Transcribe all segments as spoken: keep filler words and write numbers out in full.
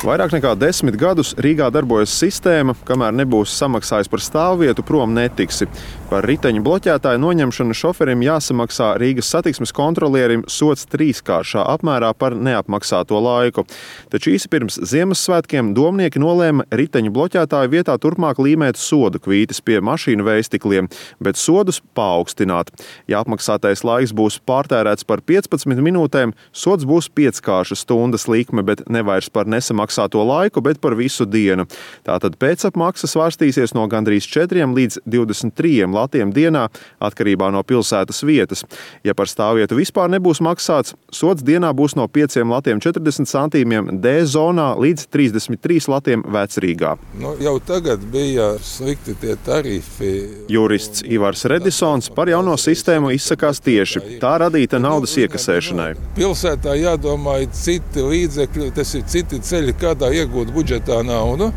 Vairāk nekā desmit gadus Rīgā darbojas sistēma, kamēr nebūs samaksājis par stāvvietu, prom netiksi. Par riteņu bloķētāju noņemšanu šoferim jāsamaksā Rīgas satiksmes kontrolierim sods trīskāršā apmērā par neapmaksāto laiku. Taču īsi pirms Ziemassvētkiem domnieki nolēma riteņu bloķētāju vietā turpmāk līmēt sodu kvītes pie mašīnu vējstikliem, bet sodus paaugstināt. Ja apmaksātais laiks būs pārtērēts par piecpadsmit minūtēm, sods būs pieckārša stundas likme, bet ne vairs par nesamaksāto laiku, bet par visu dienu. Tātad pēcapmaksa svārstīsies no gandrīz četriem līdz divdesmit trim latiem dienā, atkarībā no pilsētas vietas. Ja par stāvvietu vispār nebūs maksāts, sods dienā būs no pieciem latiem četrdesmit centiem D zonā līdz trīsdesmit trīs latiem Vecrīgā. Nu, jau tagad bija slikti tie tarifi. Jurists Ivars Redisons par jauno sistēmu izsakās tieši. Tā radīta naudas iekasēšanai. Pilsētā jādomā citi līdzekļi, tas ir citi ceļi, kādā iegūt budžetā naudu.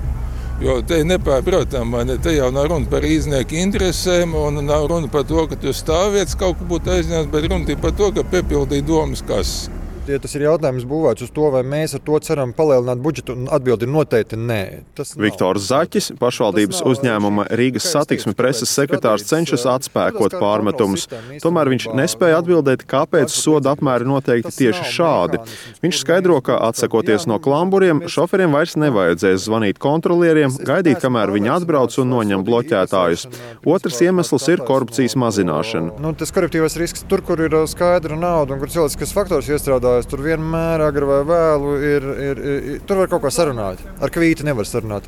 Jo te ir nepārprotami, ne? Te jau nav runa par īznieku interesēm un nav runa par to, ka tu stāvvietas kaut kur būtu aizņemts, bet runa ir par to, ka piepildīja domas kases. Ja tas ir jautājums būvēts uz to, vai mēs ar to ceram palielināt budžetu, un atbildi ir noteikti nē. Viktors Zaķis, pašvaldības uzņēmuma Rīgas satiksmes preses sekretārs, cenšas atspēkot pārmetumus. Tomēr viņš nespēja atbildēt, kāpēc soda apmēri noteikti tieši šādi. Viņš skaidro, ka atsakoties no klamburiem, šoferiem vairs nevajadzēs zvanīt kontrolieriem, gaidīt, kamēr viņi atbrauc un noņem bloķētājus. Otrs iemesls ir korupcijas mazināšana. Nu, tas koruptīvais risks tur, kur ir skaidra nauda un kur cilvēciskas faktors iestrādā, tur vienmēr agri vai vēlu ir, ir, ir, tur var kaut ko sarunāt. Ar kvīti nevar sarunāt.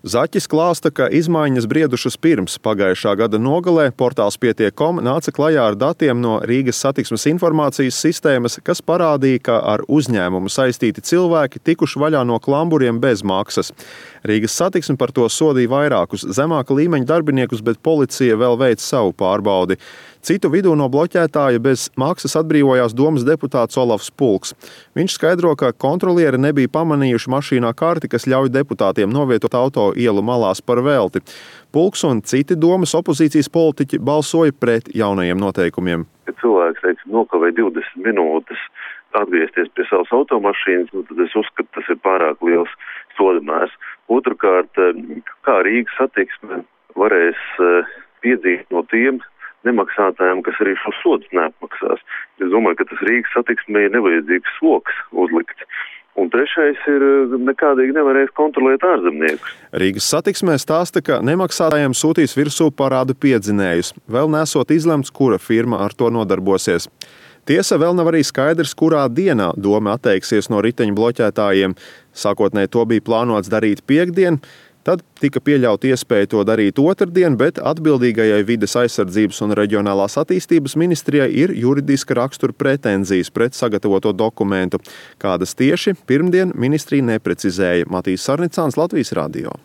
Zaķis klāsta, ka izmaiņas briedušas pirms pagājušā gada nogalē portāls Pietiek punkts com nāca klajā ar datiem no Rīgas satiksmes informācijas sistēmas, kas parādīja, ka ar uzņēmumu saistīti cilvēki tikuši vaļā no klamburiem bez maksas. Rīgas satiksme par to sodīja vairākus zemāka līmeņa darbiniekus, bet policija vēl veic savu pārbaudi. Citu vidū no bloķētāja bez maksas atbrīvojās domas deputāts Olafs Pulks. Viņš skaidro, ka kontrolieri nebija pamanījuši mašīnā karti, kas ļauj deputātiem novietot auto ielu malās par velti. Pulks un citi domas opozīcijas politiķi balsoja pret jaunajiem noteikumiem. Ja cilvēks, teiksim, nokavē divdesmit minūtes atgriezties pie savas automašīnas, nu, tad es uzskatu, tas ir pārāk liels sodamērs. Otrakārt, kā Rīgas satiksme varēs piedzīt no tiem nemaksātājiem, kas arī šo sodus neapmaksās. Es domāju, ka tas Rīgas satiksmei ir nevajadzīgs sloks uzlikt. Un trešais ir, nekādīgi nevarēs kontrolēt ārzemniekus. Rīgas satiksmē stāsta, ka nemaksātājiem sūtīs virsū parādu piedzinējus. Vēl nesot izlemts, kura firma ar to nodarbosies. Tiesa, vēl nav arī skaidrs, kurā dienā doma atteiksies no riteņu bloķētājiem. Sākotnēji to bija plānots darīt piektdien. Tad tika pieļauta iespēja to darīt otrdien, bet atbildīgajai vides aizsardzības un reģionālās attīstības ministrijai ir juridiska rakstura pretenzijas pret sagatavoto dokumentu. Kādas tieši pirmdien ministrija neprecizēja. Matīs Sarnicāns, Latvijas radio.